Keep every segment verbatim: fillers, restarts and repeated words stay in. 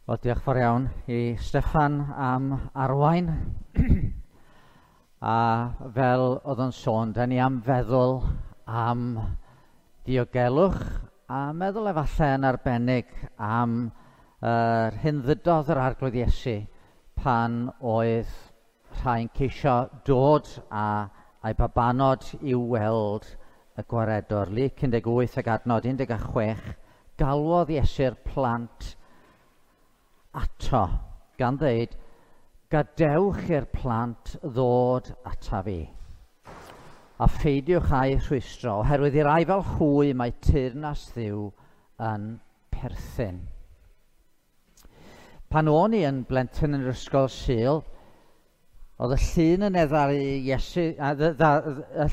Wel, diolch fawr iawn i Steffan am arwain. A fel oedd o'n sôn, da ni am feddwl am diogelwch a meddwl efallai yn arbennig am yr uh, hyn ddydodd yr Arglwydd Iesu pan oedd rhai'n ceisio dod a a'i babanod i'w weld y gwaredwr. Luc un deg wyth ac adnod un deg chwech, galwodd Iesu'r plant ato, gan ddeud, gadewch i'r plant ddod ata fi, a pheidiwch â'u rhwystro, oherwydd i'r rai fel hwy mae teyrnas Dduw yn perthyn. Pan o'n i yn blentyn yn yr ysgol Sul, oedd y llun yn ddaru Iesu, a y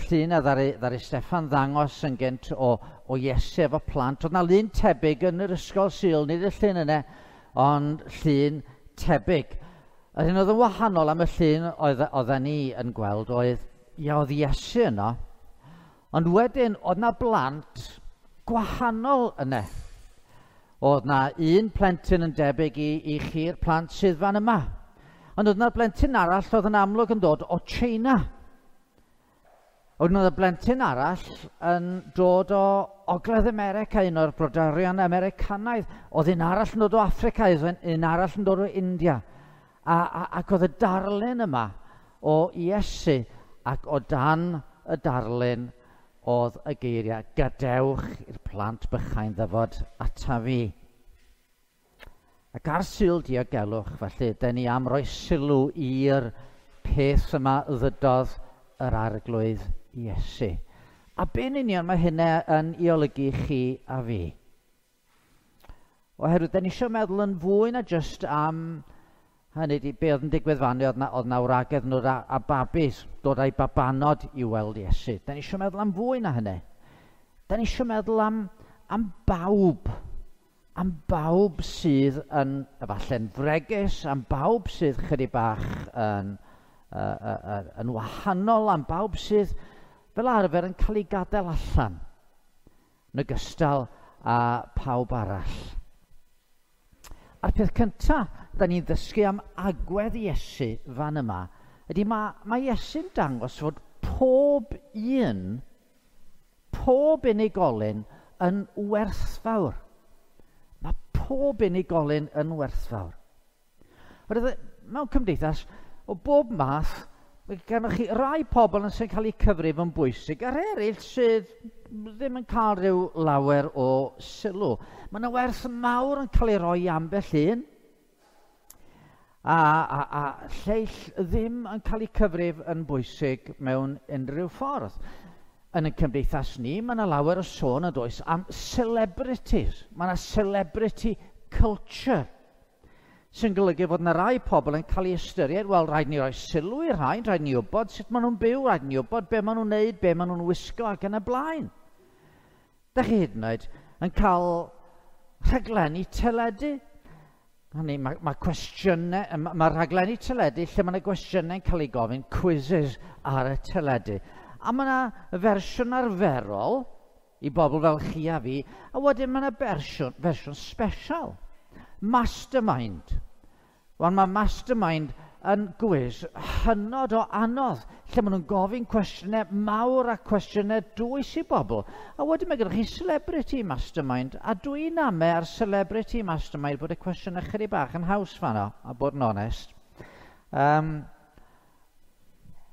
llun a ddaru, ddaru Steffan ddangos yn gynt o, o Iesu efo plant. Oedd na lun tebyg yn yr ysgol Sul, nid y llun yna, ond llun tebyg. Yr hyn oedd yn wahanol am y llun oedd, oedden ni yn gweld oedd, ia, oedd Iesu yno, ond wedyn oedd na blant gwahanol yna. Oedd na un plentyn yn debyg i, i chi'r plant sydd fan yma. Ond oedd na blentyn arall oedd yn amlwg yn dod o China. Oedd na blentyn arall yn dod o Ogledd America, un o'r brodorion Americanaidd. Oedd un arall yn dod o Affrica, oedd un arall yn dod o India. A, a, ac oedd y darlun yma o Iesu, ac o dan y darlun oedd y geiriau, gadewch i'r plant bychain ddyfod ata fi. Ac ar Sul Diogelwch, felly, dyn ni am roi sylw i'r peth yma ddydodd yr Arglwydd Iesu. A be'n union mae hynna yn ei olygu chi a fi? Oherwydd, dyn ni eisiau meddwl yn fwy na jyst am hynny di, be oedd yn digwydd fan, oedd na, oedd na wragedd nhw a, a babis, dod â'i babanod i weld Iesu. Dyn ni eisiau meddwl am fwy na hynny. Dyn ni eisiau meddwl am, am bawb. Am bawb sydd yn, efallai'n fregus, am bawb sydd chydig bach yn, uh, uh, uh, yn wahanol, am bawb sydd fel arfer yn cael ei gadael allan, yn ogystal â pawb arall. A'r peth cyntaf da ni'n ddysgu am agwedd Iesu fan yma, ydy mae, mae Iesu'n dangos fod pob un, pob unigolyn yn werthfawr. Mae pob unigolyn yn werthfawr. Oherwydd mewn cymdeithas, o bob math, mae gennych chi rai pobl yn sy'n cael eu cyfrif yn bwysig, a'r eraill sydd ddim yn cael rhyw lawer o sylw. Mae yna werth mawr yn cael ei roi i ambell un, a, a, a lleill ddim yn cael eu cyfrif yn bwysig mewn unrhyw ffordd. Yn y cymdeithas ni, mae yna lawer o sôn yn does am celebrities. Mae yna celebrity culture, sy'n golygu fod yna rai pobl yn cael ei ystyried, wel, rhaid ni roi sylw i'r rhain, rhaid ni wybod sut maen nhw'n byw, rhaid ni wybod be maen nhw'n neud, be maen nhw'n wisgo ac yn y blaen. Dach chi hyd yn oed yn cael rhaglenni teledu. Hynny, mae, mae cwestiynau, mae, mae rhaglenni teledu lle mae yna gwestiynau'n cael ei gofyn, quizzes ar y teledu. A mae yna fersiwn arferol i bobl fel chi a fi, a wedyn mae yna fersiwn, fersiwn special. Mastermind. Wel, mae Mastermind yn gwis hynod o anodd, lle maen nhw'n gofyn cwestiynau mawr a cwestiynau dwys i bobl. A wedyn mae gennych chi Celebrity Mastermind, a dwi'n ame ar Celebrity Mastermind bod y cwestiynau chydig bach yn haws fanno, a bod yn onest. Um,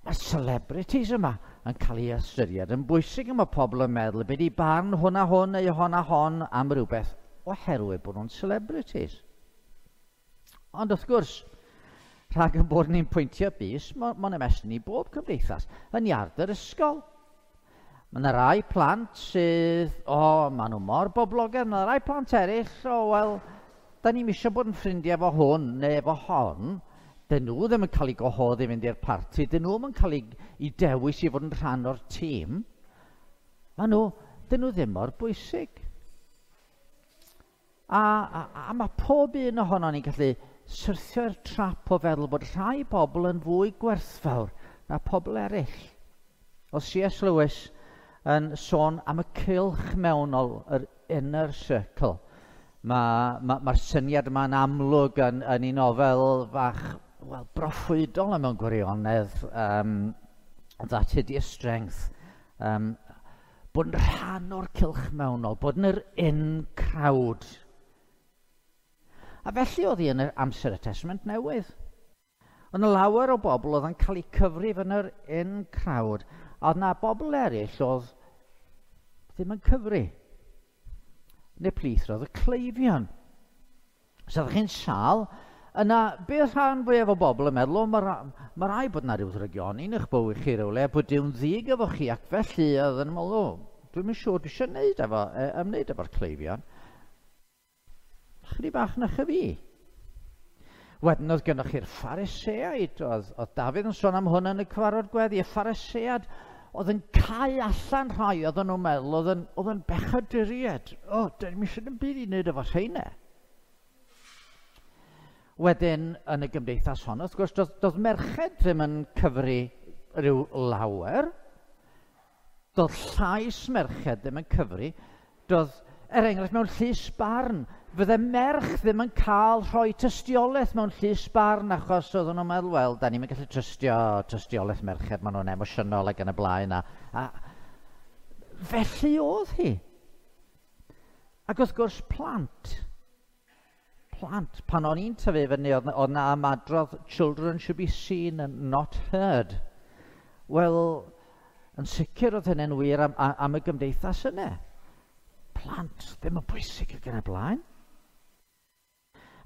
mae celebrities yma yn cael ei ystyried yn bwysig, a mae pobl yn meddwl beth i barn hwn a hwn neu hon a hon am rhywbeth, oherwydd bod nhw'n celebrities. Ond wrth gwrs, rhag y bod ni'n pwyntio bys, mae'n ymestyn i bob cymdeithas, yn iard yr ysgol. Mae yna rai plant sydd, o, oh, maen nhw mor boblogaidd, mae yna rai plant eraill, o, oh, wel, da ni'm eisiau bod yn ffrindiau efo hwn neu efo hon. Dyn nhw ddim yn cael eu gwahodd i fynd i'r parti, dyn nhw ddim yn cael eu, eu dewis i fod yn rhan o'r tîm. Maen nhw, dyn nhw ddim mor bwysig. A, a, a mae pob un ohono ni'n gallu syrthio'r trap o feddwl bod rhai pobl yn fwy gwerthfawr na pobl eraill. Oedd C S Lewis yn sôn am y cylch mewnol, yr inner circle. Mae'r ma, ma syniad yma'n amlwg yn, yn ei nofel fach, wel, broffwydol mewn gwirionedd, um, That Hideous Strength. Um, bod yn rhan o'r cylch mewnol, bod yn yr in crowd. A felly oedd hi yn yr amser y Testament Newydd. Ond lawer o bobl oedd yn cael eu cyfrif yn yr in crowd. A oedd na bobl eraill oedd ddim yn cyfri. Neu plith roedd y cleifion. So oeddech chi'n sâl, yna beth rhan fwyaf o bobl yn meddwl, o, mae ma rai bod yna rhyw ddrygioni yn eich bywyd chi rywle, a bod Duw'n ddig efo chi, ac felly oedd yn meddwl, o, dwi'm yn siŵr dwi eisiau wneud efo, e, ymwneud efo'r cleifion. Chydig bach na chyfi. Wedyn oedd gennych chi'r Phariseaid, oedd, oedd Dafydd yn sôn am hwn yn y cyfarfod gweddi, y Phariseaid oedd yn cau allan rhai oedden nhw'n meddwl oedd yn, oedd yn bechaduriaid. O, dyn ni'n eisiau ddim byd i wneud efo rheina. Wedyn, yn y gymdeithas hon, wrth gwrs, doedd, doedd merched ddim yn cyfri rhyw lawer. Doedd llais merched ddim yn cyfri. Doedd, er enghraifft, mewn llys barn, fydde merch ddim yn cael rhoi tystiolaeth mewn llys barn achos oedden nhw'n meddwl, wel, da ni'n gallu trystio tystiolaeth merched, maen nhw'n emosiynol ac yn y blaen. A, a felly oedd hi. Ac wrth gwrs, plant. Plant. Pan o'n i'n tyfu fyny, oedd oedd na ymadrodd, children should be seen and not heard. Wel, yn sicr oedd hynny'n wir am, am y gymdeithas yna. Plant ddim yn bwysig ac yn y blaen.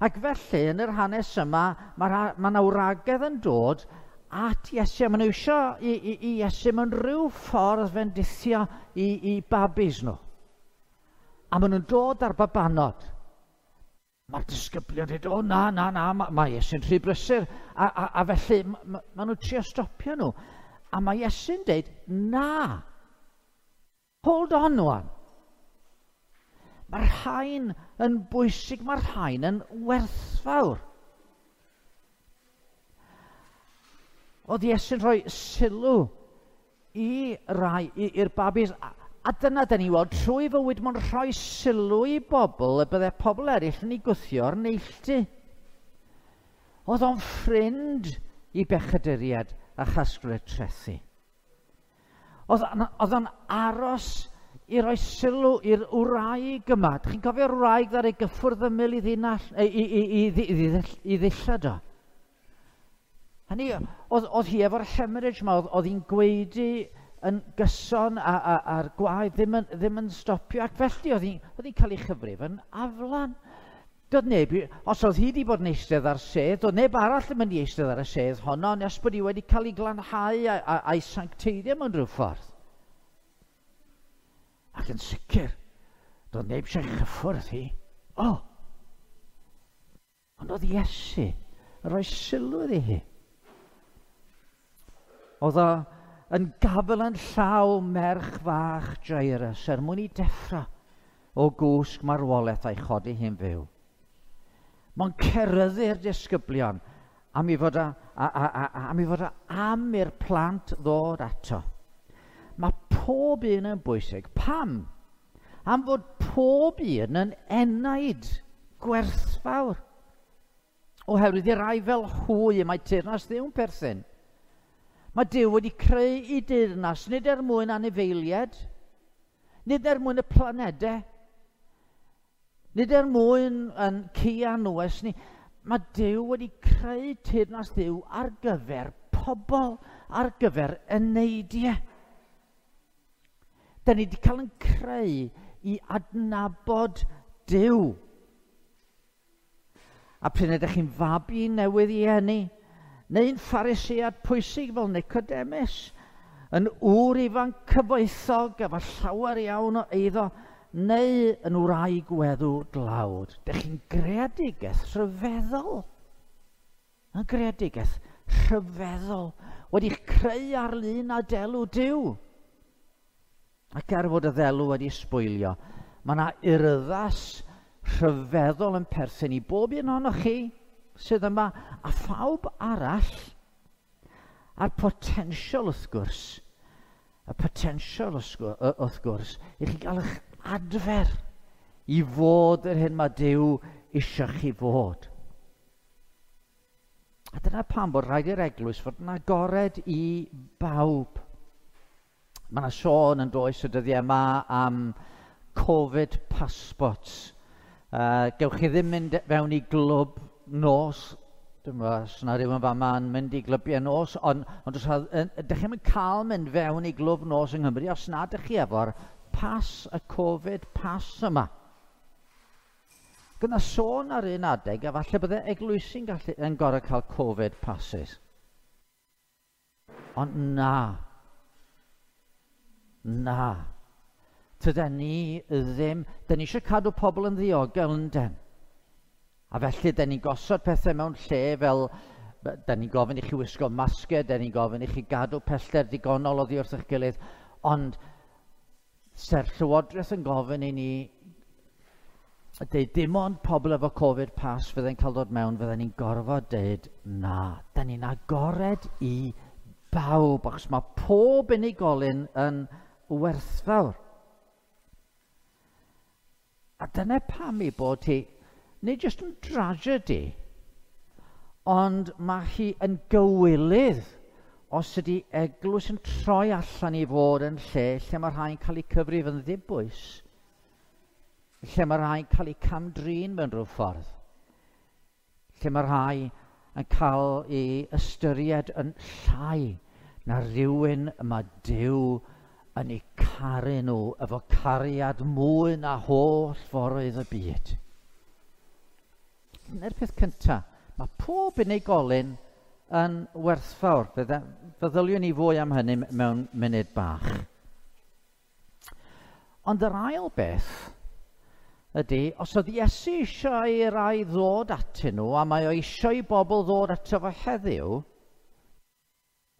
Ac felly, yn yr hanes yma, mae ma 'na wragedd yn dod at Iesu. A maen nhw eisiau i, i, i Iesu mewn rhyw ffordd fendithio i, i babis nhw. A maen nhw'n dod ar babanod. Mae'r disgyblion dweud, o na, na, na, mae ma Iesu'n rhy brysur. A, a, a felly, ma, ma nhw'n trio stopio nhw. A mae Iesu'n dweud, na, hold on wan. Mae'r rhain yn bwysig, mae'r rhain yn werthfawr. Oedd Iesu'n rhoi sylw i rai, i'r babis, a, a dyna da ni weld, trwy fywyd mae'n rhoi sylw i bobl y bydde pobl eraill yn ei gwthio ar neilltu. Oedd o'n ffrind i bechaduriaid a chasglwyr trethi. Oedd, oedd o'n aros i roi sylw i'r wraig yma. Dych chi'n cofio'r wraig ddaru ei gyffwrdd ymyl i ddinall, i, i, i, i, i, i ddillad o? Hynny, oedd, oedd hi efo'r hemorrhage yma, oedd, oedd hi'n gwaedu yn gyson a, a, a'r gwaed ddim yn, ddim yn stopio, ac felly oedd hi'n oedd hi'n cael ei chyfrif yn aflan. Doedd neb, os oedd hi wedi bod yn eistedd ar sedd, doedd neb arall yn mynd i eistedd ar y sedd honno, nes bod hi wedi cael ei glanhau a, a, a'i sancteiddio mewn rhyw ffordd. Ac yn sicr, doedd neb eisiau chyffwrdd hi. O! Ond oedd Iesu yn rhoi sylw iddi hi. Oedd o yn gafel yn llaw merch fach Jairus er mwyn i deffro o gwsg marwolaeth a'i chodi hi'n fyw. Mae'n ceryddu'r disgyblion am i fod a, a, a, a, am i fod a, am i'r plant ddod ato. Mae pob un yn bwysig. Pam? Am fod pob un yn enaid gwerthfawr. Oherwydd i rai fel hwy y mae teyrnas Dduw'n perthyn. Mae Duw wedi creu i deyrnas nid er mwyn anifeiliaid, nid er mwyn y planedau, nid er mwyn yn ci a anwes ni. Mae Duw wedi creu teyrnas Dduw ar gyfer pobl, ar gyfer eneidiau. Da ni wedi cael yn creu i adnabod Duw. A pryd ydych chi'n fabi newydd i eni, neu'n Pharisead pwysig fel Nicodemus, yn ŵr ifanc cyfoethog efo llawer iawn o eiddo, neu yn wraig weddw dlawd. Dych chi'n greadigaeth rhyfeddol. Yn greadigaeth rhyfeddol. Wedi'ch creu ar lun a delw Duw. Ac er fod y ddelw wedi sbwylio, mae yna urddas rhyfeddol yn perthyn i bob un ohonoch chi sydd yma, a phawb arall, a'r potensial wrth gwrs, y potensial wrth gwrs, i chi gael eich adfer i fod yr hyn mae Duw eisiau chi fod. A dyna pam bod rhaid i'r eglwys fod yn agored i bawb. Mae yna sôn yn does y dyddiau yma am Covid passports. Uh, gewch chi ddim mynd fewn i glwb nos. Dwi'n meddwl, os yna rhywun fama yn mynd i glybiau nos, ond, ond os ydych chi'n cael mynd fewn i glwb nos yng Nghymru os nad ydych chi efo'r pas, y Covid pass yma. Gyda sôn ar un adeg, a falle bydde eglwysi'n gallu, yn gorau cael Covid passes. Ond na. Na. Tyden ni ddim. Dyn ni eisiau cadw pobl yn ddiogel yn den. A felly, dyn ni'n gosod pethau mewn lle fel, dyn ni'n gofyn i chi wisgo masgau, dyn ni'n gofyn i chi gadw pellter digonol oddi wrth eich gilydd, ond se'r Llywodraeth yn gofyn i ni deud dim ond pobl efo Covid pass fydde'n cael dod mewn, fydden ni'n gorfod deud na. Dyn ni'n agored i bawb, achos mae pob unigolyn yn werthfawr. A dyna pam ei bod hi, nid jyst yn dragedy, ond mae hi yn gywilydd os ydy eglwys yn troi allan i fod yn lle lle mae rhai'n cael eu cyfrif yn ddibwys, lle mae rhai'n cael eu camdrin mewn rhyw ffordd, lle mae rhai yn cael ei ystyried yn llai na rhywun y mae Duw yn eu caru nhw efo cariad mwy na holl foroedd y byd. Dyna'r peth cyntaf. Mae pob unigolyn yn werthfawr. Feddyliwn ni fwy am hynny mewn munud bach. Ond yr ail beth ydy, os oedd Iesu eisiau i rai ddod atyn nhw, a mae o eisiau i bobl ddod ato fo heddiw,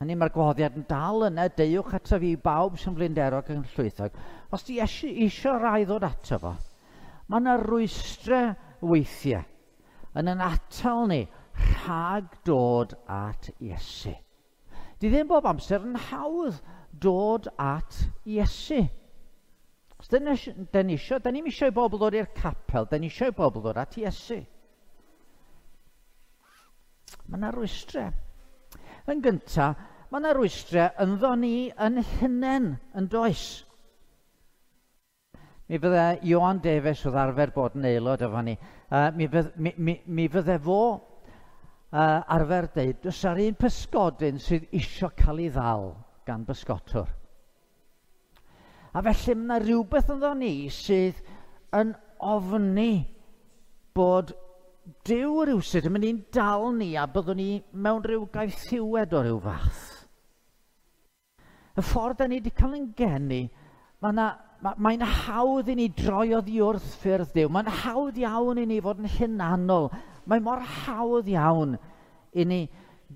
hynny mae'r gwahoddiad yn dal yna, deuwch ato fi bawb sy'n flinderog yn llwythog. Os di Iesu eisiau rai ddod ato fo, mae yna rwystrau weithiau yn yn atal ni rhag dod at Iesu. Di ddim bob amser yn hawdd dod at Iesu. Os dyn ni eisiau, dyn ni'm eisiau i bobl ddod i'r capel, dyn ni eisiau i bobl ddod at Iesu. Mae yna rwystrau. Yn gyntaf, mae yna rwystrau ynddo ni yn hunain, yn does. Mi fydde Ioan Davies oedd arfer bod yn aelod efo ni, uh, mi, fydd, mi, mi, mi fydde fo uh, arfer deud, does ar un pysgodyn sydd isio cael ei ddal gan bysgotwr. A felly mae yna rhywbeth ynddo ni sydd yn ofni bod Duw rywsut yn mynd i'n dal ni a byddwn ni mewn rhyw gaethiwed o ryw fath. Y ffordd da ni wedi cael yn geni, mae yna mae'n hawdd i ni droi oddi wrth ffyrdd Duw. Mae'n hawdd iawn i ni fod yn hunanol. Mae mor hawdd iawn i ni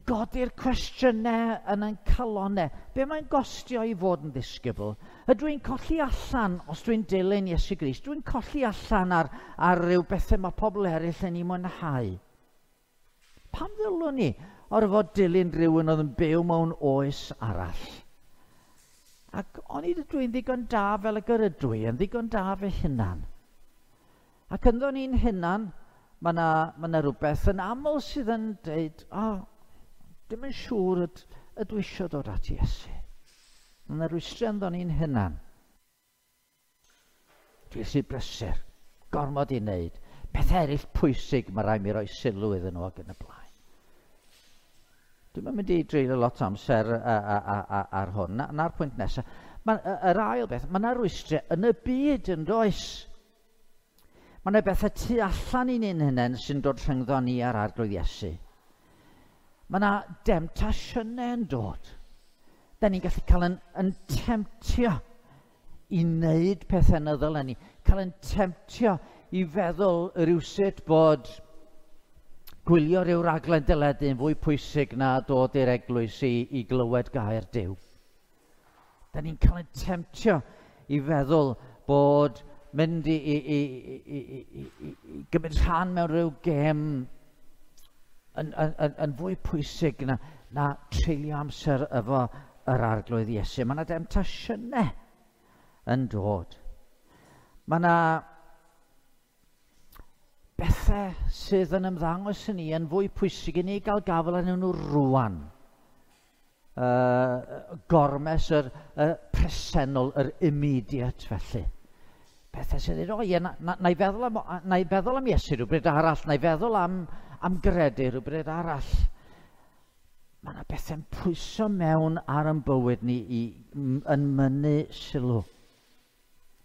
godi'r cwestiynau yn ein calonnau. Be mae'n gostio i fod yn ddisgybl? Ydw i'n colli allan os dwi'n dilyn Iesu Grist? Dwi'n colli allan ar, ar ryw bethau mae pobl eraill yn ei mwynhau? Pam ddylwn ni orfod dilyn rhywun oedd yn byw mewn oes arall? Ac onid ydw i'n ddigon da fel y ydw i, yn ddigon da fy hunan. Ac ynddo ni'n hunan, mae yna ma na rhywbeth yn aml sydd yn dweud, o, oh, dim yn siŵr yd, ydw eisiau dod at Iesu. Mae yna rwystrau ynddo ni'n hunan. Dwi rhy brysur, gormod i wneud. Peth eraill pwysig mae rhaid mi roi sylw iddyn nhw ac yn y blaen. Dwi'n mynd i dreulio lot o amser ar hwn. Na'r pwynt nesaf. Ma, yr ail beth, mae yna rwystrau yn y byd yn does. Mae yna bethau tu allan i ni'n hunain sy'n dod rhyngddo ni a'r Arglwydd Iesu. Mae yna demtasiynau yn dod. Da ni'n gallu cael yn, yn temtio i wneud pethau na ddylen ni. Cael yn temtio i feddwl rywsut bod gwylio rhyw raglen deledu yn fwy pwysig na dod i'r eglwys i, i glywed gair Duw. Da ni'n cael ein temtio i feddwl bod mynd i, i, i, i, i, i, i gymryd rhan mewn rhyw gêm yn, yn, yn, yn fwy pwysig na, na treulio amser efo yr Arglwydd Iesu. Mae yna demtasiynau yn dod. Mae yna Bethau sydd yn ymddangos i ni yn fwy pwysig i ni gael gafael arnyn nhw rwan. Uh, gormes yr uh, presennol, yr immediate felly. Pethau sydd yn, o ie, na, na, na, i feddwl am, na i feddwl am Iesu rhywbryd arall, na i feddwl am, am gredu rhywbryd arall. Mae yna bethau'n pwyso mewn ar yn bywyd ni i, yn mynnu sylw.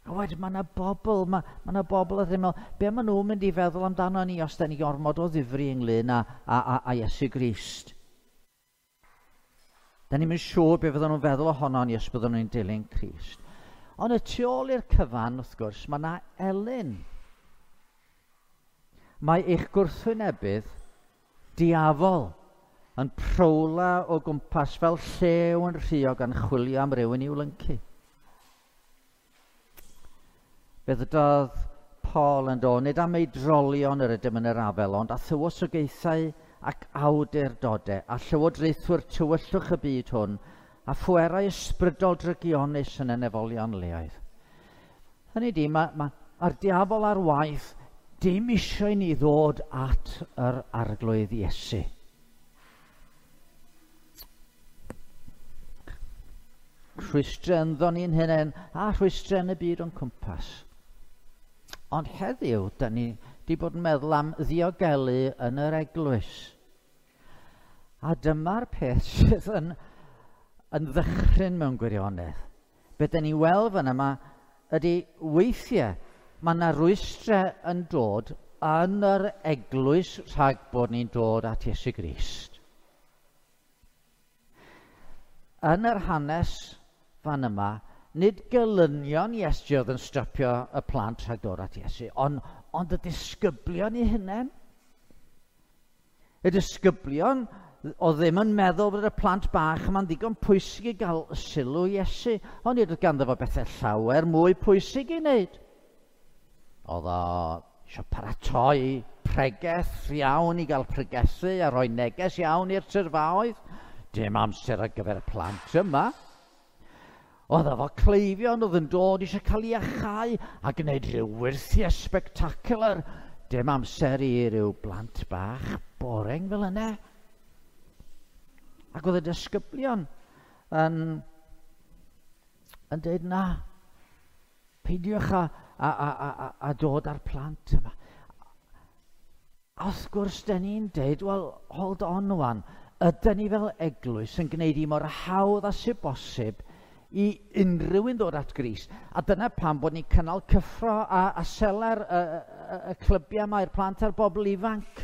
A wedyn mae yna bobl, mae, mae yna bobl yn meddwl, be maen nhw'n mynd i feddwl amdano ni os da ni ormod o ddifri ynglyn â, a, a, a Iesu Grist. Da ni'n mynd siŵr be fydden nhw'n feddwl ohono ni os byddwn nhw'n dilyn Crist. Ond y tu ôl i'r cyfan, wrth gwrs, mae yna elyn. Mae eich gwrthwynebydd diafol yn prowla o gwmpas fel llew yn rhuo gan chwilio am rywun i'w lyncu. Fe ddydodd Paul yn dod, nid am ei drolion yr ydym yn yr afel, ond a thywysogaethau ac awdurdodau, a llywodraethwyr tywyllwch y byd hwn, a phwerau ysbrydol drygionus yn y nefolion leoedd. Hynny di, mae'r ma, ma diafol ar waith dim eisiau i ni ddod at yr Arglwydd Iesu. Rhwystrau ynddo ni'n hunain a rhwystrau yn y byd o'n cwmpas. Ond heddiw, da ni wedi bod yn meddwl am ddiogelu yn yr eglwys. A dyma'r peth sydd yn, yn ddychryn mewn gwirionedd. Be da ni weld fan yma ydy weithiau mae yna rwystrau yn dod yn yr eglwys rhag bod ni'n dod at Iesu Grist. Yn yr hanes fan yma, nid gelynion Iesu oedd yn stopio y plant rhag dod at Iesu, ond, ond y disgyblion eu hunain. Y disgyblion oedd ddim yn meddwl bod y plant bach yma'n ddigon pwysig i gael sylw Iesu, ond nid oedd ganddo fo bethau llawer mwy pwysig i wneud. Oedd o eisiau paratoi pregeth iawn i gael pregethu a rhoi neges iawn i'r tyrfaoedd. Dim amser ar gyfer y plant yma. Oedd efo cleifion oedd yn dod eisiau cael ei achau a gwneud rhyw wyrthiau spectacular. Dim amser i ryw blant bach boring fel yna. Ac oedd y disgyblion yn, yn dweud na, peidiwch a, a, a, a, a dod â'r plant yma. A wrth gwrs, da ni'n dweud, well, hold on wan, ydyn ni fel eglwys yn gwneud i mor hawdd â sydd bosib i unrhyw un ddod at Grist. A dyna pam bod ni'n cynnal cyffro a, a seler y, y, y clybiau yma i'r plant a'r bobl ifanc.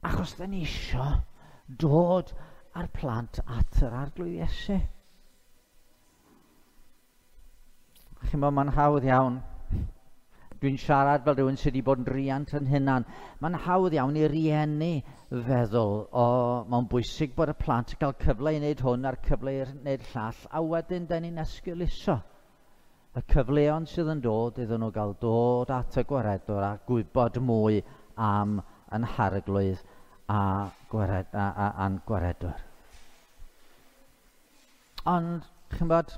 Achos da ni isio dod â'r plant at yr Arglwydd Iesu. Chi'n meddwl, mae'n hawdd iawn. Dwi'n siarad fel rhywun sydd wedi bod yn riant yn hunan. Mae'n hawdd iawn i rieni feddwl, o, mae'n bwysig bod y plant yn cael cyfle i wneud hwn a'r cyfle i wneud llall, a wedyn da ni'n esgeuluso y cyfleon sydd yn dod iddyn nhw gael dod at y gwaredwr a gwybod mwy am yn harglwydd a gwared, a, a, a'n gwaredwr. Ond, chi'n bod,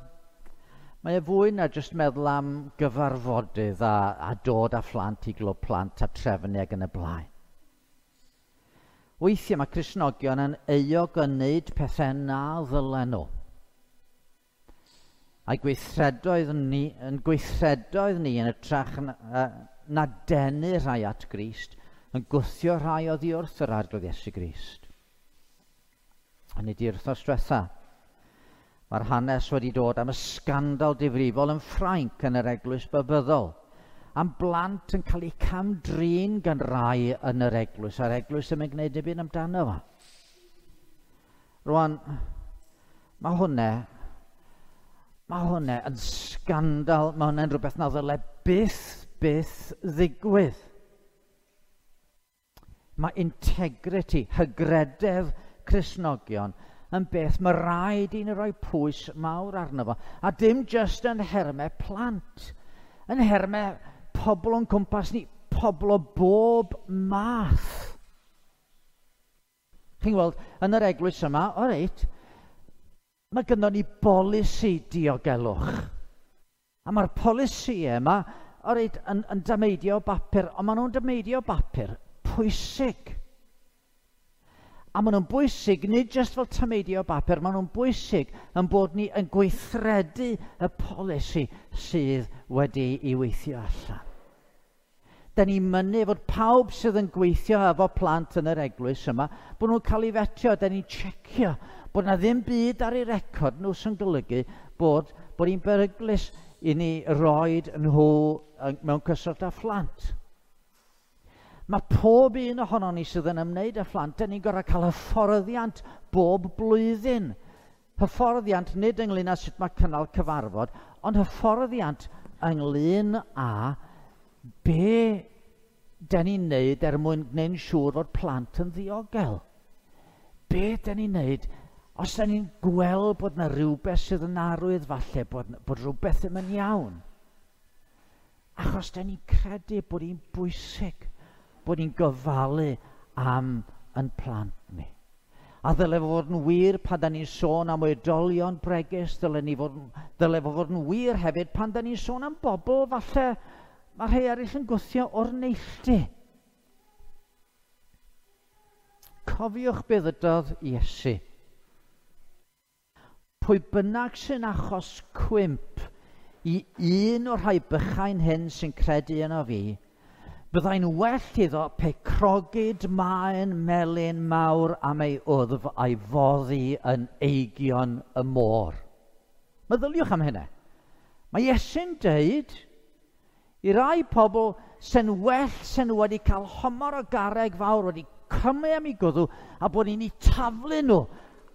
mae e fwy na jyst meddwl am gyfarfodydd a, a dod â phlant i glwb plant a trefnu ac yn y blaen. Weithiau mae Cristnogion yn euog yn wneud pethau na ddylen nhw. A'i gweithredoedd ni, yn gweithredoedd ni yn ytrach na, na denu rhai at Grist, yn gwthio rhai oddi wrth yr Arglwydd Iesu Grist. A nid i'r wythnos diwetha, mae'r hanes wedi dod am y sgandal difrifol yn Ffrainc yn yr eglwys Babyddol, am blant yn cael eu cam-drin gan rai yn yr eglwys, a'r eglwys ddim yn gwneud dim byd amdano fo. Rwan, mae hwnna, mae hwnna yn sgandal, mae hwnna'n rhywbeth na ddyle byth, byth ddigwydd. Mae integrity, hygrededd Cristnogion, yn beth mae rhaid i ni roi pwys mawr arno fo. A dim jyst yn hermau plant, yn hermau pobl o'n cwmpas ni, pobl o bob math. Chi'n gweld, yn yr eglwys yma, o reit, mae gynnon ni bolisi diogelwch. A mae'r polisi yma orid, yn, yn dameidio bapur, ond maen nhw'n dameidio bapur pwysig. A maen nhw'n bwysig, nid jyst fel tameidio bapur, maen nhw'n bwysig yn bod ni yn gweithredu y polisi sydd wedi ei weithio allan. Da ni'n mynnu fod pawb sydd yn gweithio efo plant yn yr eglwys yma, bod nhw'n cael ei fetio, da ni'n checio bod na ddim byd ar eu record nhw sy'n golygu bod, bod ni'n beryglus i ni roed nhw mewn cyswllt â phlant. Mae pob un ohonon ni sydd yn ymwneud â phlant, da ni'n gorfod cael hyfforddiant bob blwyddyn. Hyfforddiant nid ynglyn â sut mae cynnal cyfarfod, ond hyfforddiant ynglyn â be da ni'n neud er mwyn gwneud yn siŵr fod plant yn ddiogel. Be da ni'n neud os da ni'n gweld bod yna rhywbeth sydd yn arwydd falle, bod, bod rhywbeth ddim yn iawn. Achos da ni'n credu bod hi'n bwysig bod ni'n gofalu am yn plant ni. A ddyle fod yn wir pan da ni'n sôn am oedolion bregus, ddyle, ni fod, ddyle fod yn wir hefyd pan da ni'n sôn am bobl falle mae rhai eraill yn gwthio o'r neilltu. Cofiwch be ddydodd Iesu. Pwy bynnag sy'n achos cwymp i un o'r rhai bychain hyn sy'n credu yno fi, byddai'n well iddo pe crogid maen melyn mawr am ei wddf a'i foddi yn eigion y môr. Meddyliwch am hynna. Mae Iesu'n deud i rai pobl sy'n well sy'n wedi cael homor o garreg fawr wedi cymru am ei gwddw a bod ni'n eu taflu nhw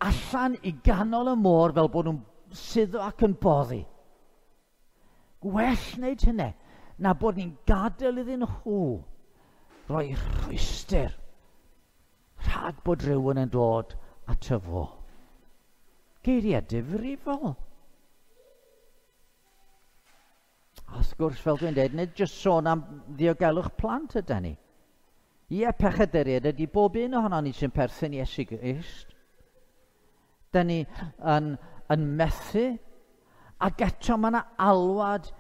allan i ganol y môr fel bod nhw'n suddo ac yn boddi. Gwell wneud hynny na bod ni'n gadael iddyn nhw roi rhwystr rhag bod rhywun yn dod ato fo. Geiriau difrifol. A wrth gwrs, fel dwi'n dweud, nid jyst sôn am ddiogelwch plant ydy ni. Ie, pechaduriaid ydy bob un ohono ni sy'n perthyn i Iesu Grist. Da ni yn, yn methu, ac eto mae yna alwad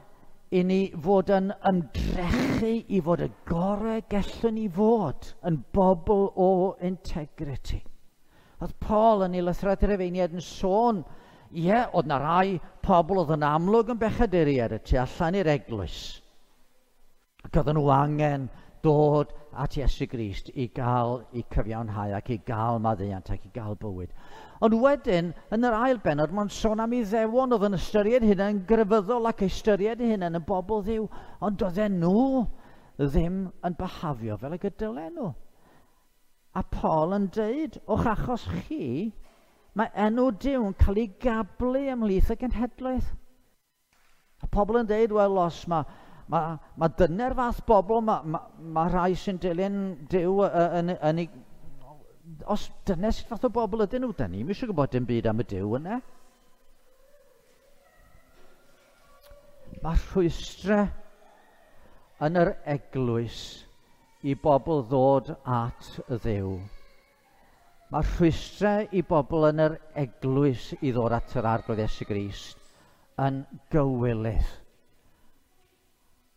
i ni fod yn ymdrechu i fod y gorau gallwn ni fod yn bobl o integrity. Oedd Paul yn ei lythyrau Rhufeiniaid yn sôn, ie, oedd na rai pobl oedd yn amlwg yn bechaduriaid y tu allan i'r eglwys. Ac oedden nhw angen dod at Iesu Grist i gael eu cyfiawnhau ac i gael maddeuant ac i gael bywyd. Ond wedyn, yn yr ail bennod, mae'n sôn am Iddewon oedd yn ystyried hynny yn grefyddol ac ystyried hynny yn bobl Dduw, ond oedden nhw ddim yn byhafio fel y dylen nhw. A Paul yn deud, o'ch achos chi, mae enw Duw yn cael ei gablu ymhlith y genhedlaeth. A pobl yn deud, wel, os mae ma, ma dyna'r fath bobl, mae ma, ma rhai sy'n dilyn Duw yn, yn, yn ei... Os dyna sut fath o bobl ydyn nhw, da ni'm eisiau gwybod dim byd am y Duw yna. Mae rhwystrau yn yr eglwys i bobl ddod at y Dduw. Mae rhwystrau i bobl yn yr eglwys i ddod at yr Arglwydd Iesu Grist yn gywilydd.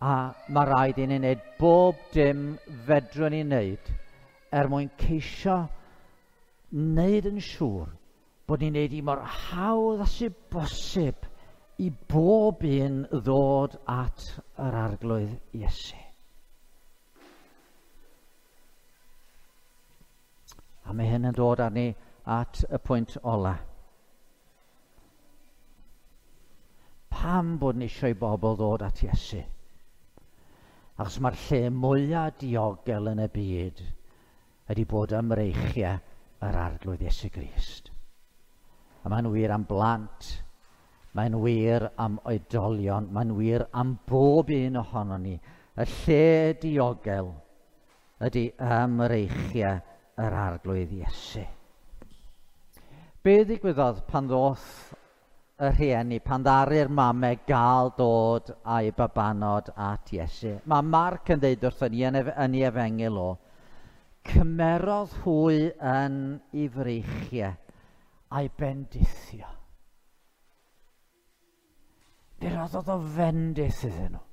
A mae rhaid i ni wneud bob dim fedrwn ni wneud er mwyn ceisio wneud yn siŵr bod ni'n wneud i mor hawdd â sydd bosib i bob un ddod at yr Arglwydd Iesu. A mae hyn yn dod arni at y pwynt ola. Pam bod ni eisiau i bobl ddod at Iesu? Achos mae'r lle mwyaf diogel yn y byd ydy bod ym mreichiau yr Arglwydd Iesu Grist. A mae'n wir am blant, mae'n wir am oedolion, mae'n wir am bob un ohonon ni. Y lle diogel ydy ym mreichiau yr Arglwydd Iesu. Be ddigwyddodd pan ddoth y rhieni, pan ddaru'r mamau gael dod â'i babanod at Iesu? Mae Marc yn dweud wrthon ni yn, yn ei efengyl o, cymerodd hwy yn ei freichiau a'i bendithio. Fe roddodd o fendith iddyn nhw.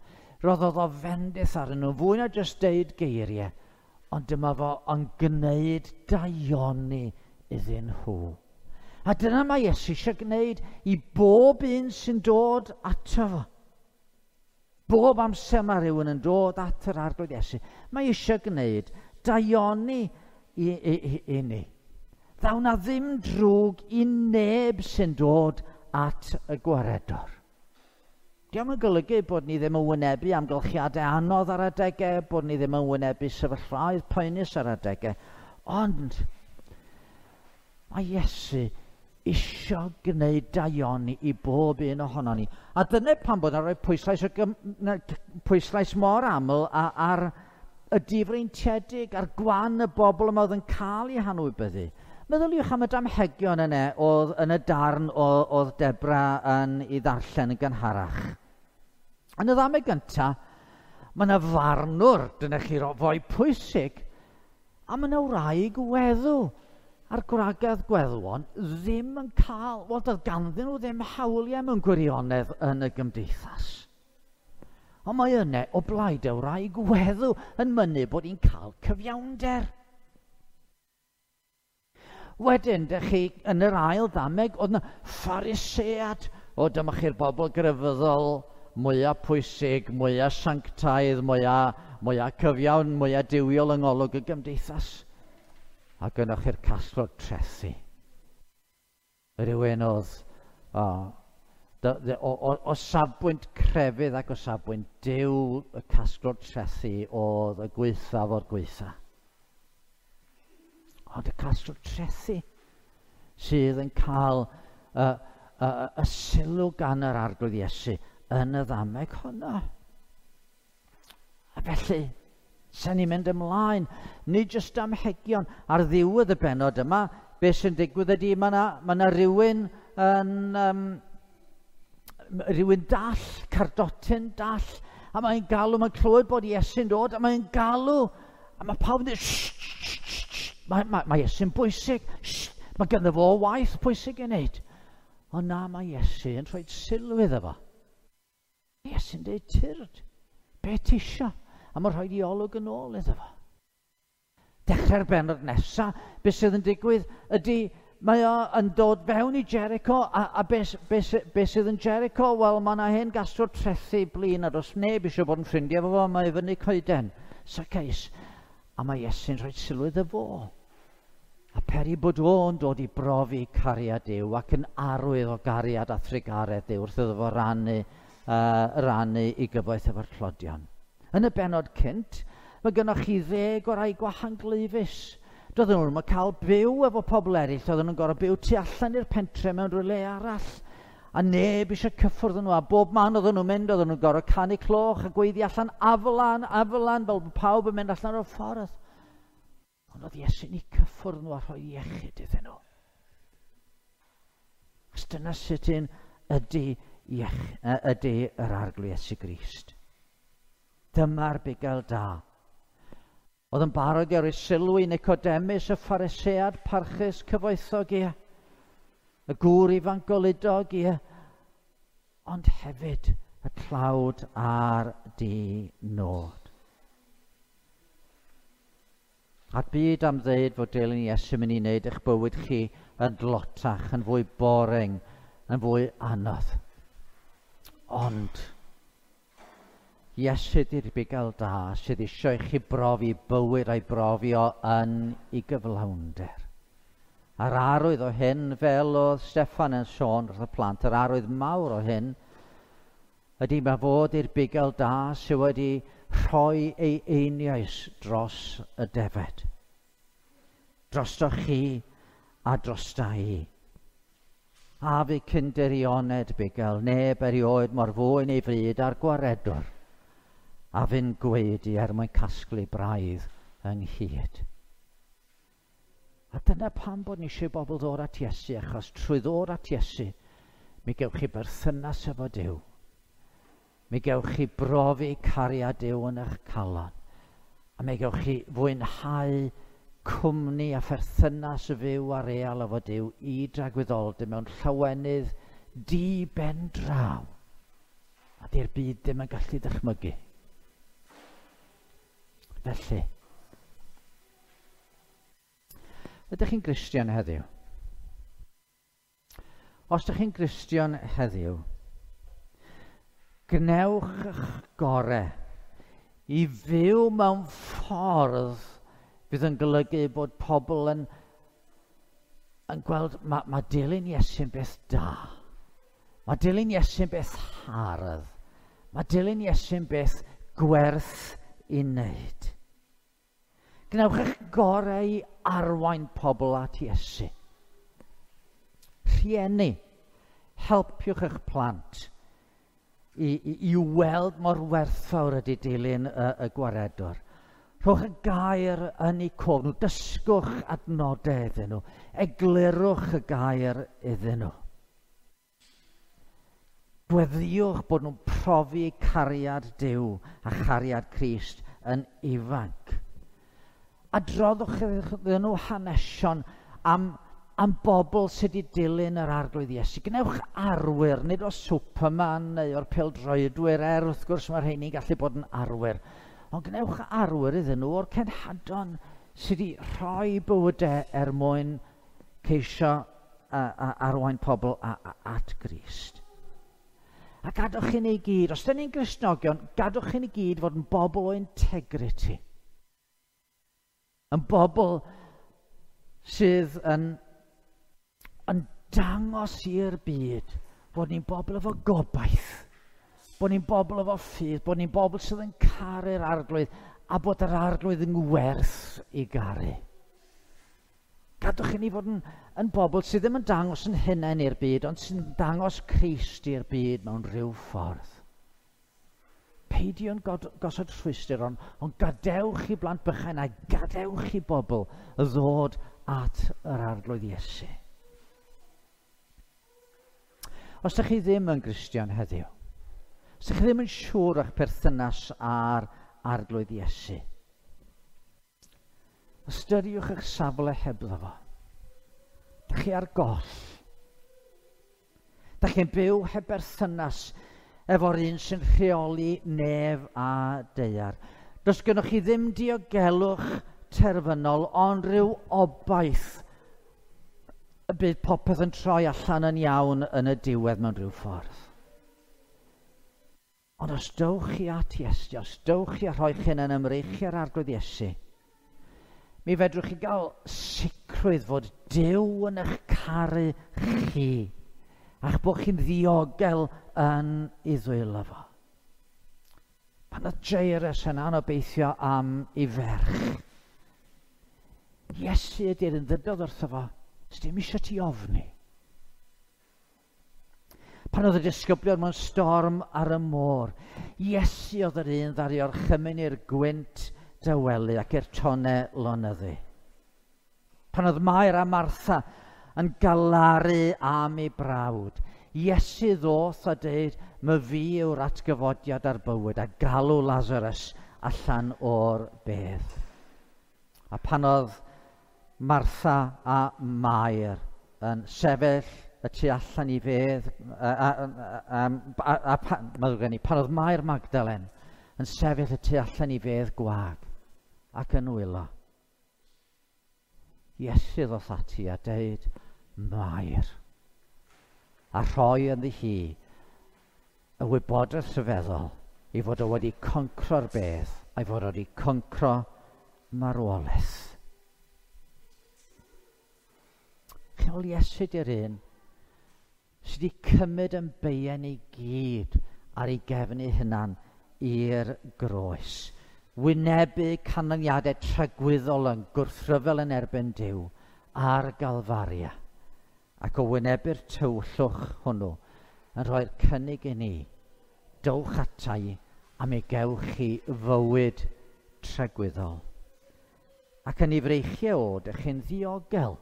Roddodd o fendith arnyn nhw, fwy na jyst deud geiriau, ond dyma fo yn gwneud daioni iddyn nhw. A dyna mae Iesu eisiau gwneud i bob un sy'n dod ato fo. Bob amser mae rhywun yn dod at yr Arglwydd Iesu, mae eisiau gwneud daioni i, i, i, i ni. Ddaw na ddim drwg i neb sy'n dod at y Gwaredwr. Dio'm yn golygu bod ni ddim yn wynebu amgylchiadau anodd ar adegau, bod ni ddim yn wynebu sefyllfaoedd poenus ar adegau, ond mae Iesu isio gwneud daioni i bob un ohonon ni. A dyna pam bod yn rhoi pwyslais, o gym, pwyslais mor aml ar y difreintiedig, ar gwan y bobl yma oedd yn cael eu hanwybyddu. Meddyliwch am y damhegion yna oedd yn y darn oedd Debra yn ei ddarllen yn gynharach. Yn y ddameg gyntaf, mae yna farnwr, dyna chi foi pwysig, a mae yna wraig weddw. A'r gwragedd gweddwon ddim yn cael, wel, doedd ganddyn nhw ddim hawliau mewn gwirionedd yn y gymdeithas. Ond mae yna o blaid y wraig weddw yn mynnu bod hi'n cael cyfiawnder. Wedyn, dych chi yn yr ail ddameg, oedd yna Pharisead. O, dyma chi'r bobl grefyddol mwyaf pwysig, mwyaf sanctaidd, mwyaf, mwyaf cyfiawn, mwyaf duwiol yng ngolwg y gymdeithas. A gynnwch chi'r casglwr trethi. Rhywun oedd o, o, o, o safbwynt crefydd ac o safbwynt Duw, y casglwr trethi oedd y gwaethaf o'r gwaetha. Ond y casglwr trethi sydd yn cael y, y, y sylw gan yr Arglwydd Iesu yn y ddameg honno. A felly, sen ni'n mynd ymlaen, nid jyst damhegion. Ar ddiwedd y bennod yma, beth sy'n digwydd ydy, mae yna ma na rhywun yn, um, rhywun dall, cardotyn dall, a mae'n galw, mae'n clywed bod Iesu'n dod, a mae'n galw, a mae pawb yn dweud, shh, shh, shh, shh. Mae, mae, mae Iesu'n bwysig, shh, mae ganddo fo waith pwysig i wneud. Ond na, mae Iesu yn rhoi sylw iddo fo. Iesu'n dweud, tyrd, be ti isio? A mae'n rhoi i olwg yn ôl iddo fo. Dechrau'r bennod nesaf, beth sydd yn digwydd ydy, mae o yn dod fewn i Jericho, a, a beth be, be sydd yn Jericho? Wel, mae yna hen gasglwr trethi blin, a does neb eisiau bod yn ffrindiau efo fo, mae fyny coeden, Zacchaeus. A mae Iesu'n rhoi sylw iddo fo. A peri bod o'n dod i brofi cariad Duw ac yn arwydd o gariad a thrugaredd Duw wrth iddo fo rannu, uh, rannu i gyfoeth efo'r tlodion. Yn y bennod cynt, mae gennych chi ddeg o rai gwahanglwyfus. Doedden nhw'n cael byw efo pobl eraill, doedden nhw'n gorfod byw tu allan i'r pentre mewn rhywle arall. A neb eisiau cyffwrdd nhw, a bob man oedden nhw'n mynd, oedden nhw'n gorfod canu cloch a gweiddi allan aflan, aflan, fel bod pawb yn mynd allan o'r ffordd. Ond oedd Iesu'n eu cyffwrdd nhw a rhoi iechyd iddyn nhw. Os dyna sut un ydy, iech, ydy yr Arglwydd Iesu Grist. Dyma'r bugail da. Oedd yn barod i roi sylw i Nicodemus, y Pharisead parchus cyfoethog, ie. Y gŵr ifanc goludog, ie. Ond hefyd y tlawd a'r di-nod. A'r byd am ddeud fod dilyn Iesu mynd i wneud eich bywyd chi yn dlotach, yn fwy boring, yn fwy anodd. Ond Iesu ydy'r bugail da sydd eisiau i chi brofi bywyd a'i brofi o yn ei gyflawnder. A'r arwydd o hyn, fel oedd Steffan yn sôn wrth y plant, yr arwydd mawr o hyn, ydy mae fod i'r bugail da sydd wedi rhoi ei einioes dros y defed. Drosto chi a drosta i. A fi cynderioned bugail, neb erioed mor fwyn ei fryd a'r gwaredwr, a fi'n gweidi er mwyn casglu braidd ynghyd. A dyna pam bod ni eisiau bobl ddod at Iesu, achos trwy ddod at Iesu, mi gewch chi berthynas efo Duw. Mi gewch chi brofi cariad Duw yn eich calon. A mi gewch chi fwynhau cwmni a pherthynas fyw a real efo Duw i dragwyddoldeb mewn llawenydd di ben draw. A di'r byd ddim yn gallu dychmygu. felly. Ydych chi'n Gristion heddiw? Os ydych chi'n Gristion heddiw, gwnewch eich gorau i fyw mewn ffordd fydd yn golygu bod pobl yn, yn gweld mae, mae dilyn Iesu'n beth da. Mae dilyn Iesu'n beth hardd. Mae dilyn Iesu'n beth gwerth i wneud. Gwnewch eich gorau i arwain pobl at Iesu. Rhieni, helpiwch eich plant i, i, i weld mor werthfawr ydy dilyn y, y gwaredwr. Rhowch y gair yn eu cof nhw, dysgwch adnodau iddyn nhw, eglurwch y gair iddyn nhw. Gweddïwch bod nhw'n profi cariad Duw a chariad Crist yn ifanc. Adroddwch iddyn nhw hanesion am, am bobl sydd wedi dilyn yr Arglwydd Iesu. Gwnewch arwyr, nid o Superman neu o'r pêl-droedwyr, er wrth gwrs mae'r rheini'n gallu bod yn arwyr. Ond gwnewch arwyr iddyn nhw o'r cenhadon sydd wedi rhoi bywydau er mwyn ceisio a, a, arwain pobl a, a, at Grist. A gadwch i ni gyd, os 'dan ni'n Gristnogion, gadwch i ni gyd fod yn bobl o integrity. Yn bobl sydd yn, yn dangos i'r byd bod ni'n bobl efo gobaith, bod ni'n bobl efo ffydd, bod ni'n bobl sydd yn caru'r Arglwydd a bod yr Arglwydd yn werth i garu. Gadwch i ni fod yn, yn bobl sydd ddim yn dangos yn hunain i'r byd, ond sy'n dangos Crist i'r byd mewn rhyw ffordd. Peidiwn gosod rhwystr, ond, ond gadewch i blant bychain a gadewch i bobl ddod at yr Arglwydd Iesu. Os ydych chi ddim yn Gristion heddiw, os ydych chi ddim yn siŵr o'ch perthynas â'r Arglwydd Iesu, ystyriwch eich safle hebddo fo. Dych chi ar goll. Dych chi'n byw heb berthynas efo'r un sy'n rheoli nef a daear. Does gennych chi ddim diogelwch terfynol, ond rhyw obaith y bydd popeth yn troi allan yn iawn yn y diwedd mewn rhyw ffordd. Ond os dowch chi at Iesu, os dowch chi a rhoi chi yn ymreichiau'r Arglwydd Iesu, mi fedrwch chi gael sicrwydd fod Duw yn eich caru chi, a'ch bod chi'n ddiogel yn ei ddwylo fo. Pan oedd Jairus yn anobeithio am ei ferch, Iesu ydy'r un ddydodd wrtho fo, sdim eisiau ti ofni. Pan oedd y disgyblion mewn storm ar y môr, Iesu oedd yr un ddaru orchymyn i'r gwynt dawelu ac i'r tonnau lonyddu. Pan oedd Mair a Martha yn galaru am ei brawd, Iesu ddoth a dweud, "My fi yw'r atgyfodiad a'r bywyd," a galw Lazarus allan o'r bedd. A pan oedd Martha a Mair yn sefyll y tu allan i fedd, a, a, a, a, a, a, gen i, pan oedd Mair Magdalen yn sefyll y tu allan i fedd gwag ac yn wylo, Iesu ddoth ati a deud, "Mair," a rhoi ynddi hi y wybodaeth rhyfeddol i fod o wedi concro'r bedd a'i fod o wedi concro marwolaeth. Chi'n Iesu di'r un sydd wedi cymryd yn beiau ni gyd ar ei gefn ei hunan i'r groes. Wynebu canlyniadau tragwyddol yn gwrthryfel yn erbyn Duw ar Galfaria. Ac o wynebu'r tywyllwch hwnnw yn rhoi'r cynnig i ni, dowch ata i a mi gewch chi fywyd tragwyddol. Ac yn ei freichiau o, dych chi'n ddiogel.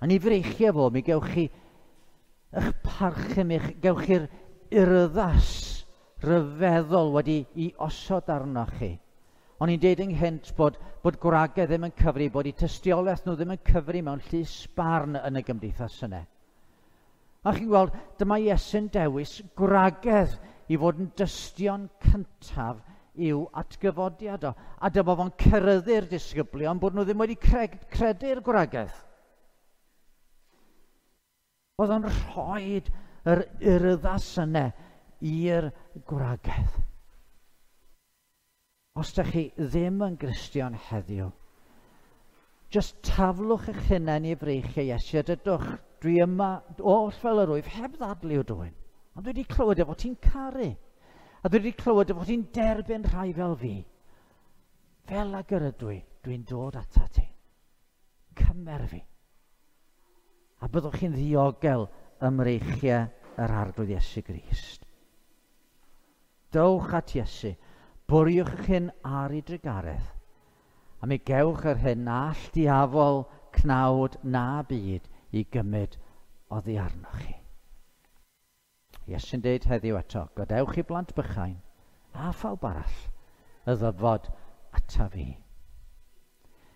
Yn ei freichiau fo, mi gewch chi eich parchu, mi gewch chi'r urddas rhyfeddol wedi i osod arnoch chi. O'n i'n deud ynghynt bod, bod gwragedd ddim yn cyfri, bod eu tystiolaeth nhw ddim yn cyfri mewn llys barn yn y gymdeithas yna. A chi'n gweld, dyma Iesu'n dewis gwragedd i fod yn dystion cyntaf i'w atgyfodiad o. A dyma fo'n ceryddu'r disgyblion bod nhw ddim wedi credu'r gwragedd. Oedd o'n rhoi yr urddas yna i'r gwragedd. Os ydych chi ddim yn Gristion heddiw, jyst taflwch eich hunain i freichiau Iesu a dydwch, dwi yma oll fel yr wyf, heb ddadlu o dwyn. Ond dwi wedi clywed efo ti'n caru. A dwi wedi clywed efo ti'n derbyn rhai fel fi. Fel ag yr ydw i, dwi'n dod ata ti. Cymer fi. A byddwch chi'n ddiogel ym mreichiau yr Arglwydd Iesu Grist. Dowch at Iesu, bwriwch eich hun ar ei drugaredd, a mi gewch yr hyn all diafol, cnawd na byd i gymryd oddi arnoch chi. Iesu'n deud heddiw eto, gadewch i blant bychain a phawb arall y ddyfod ata fi.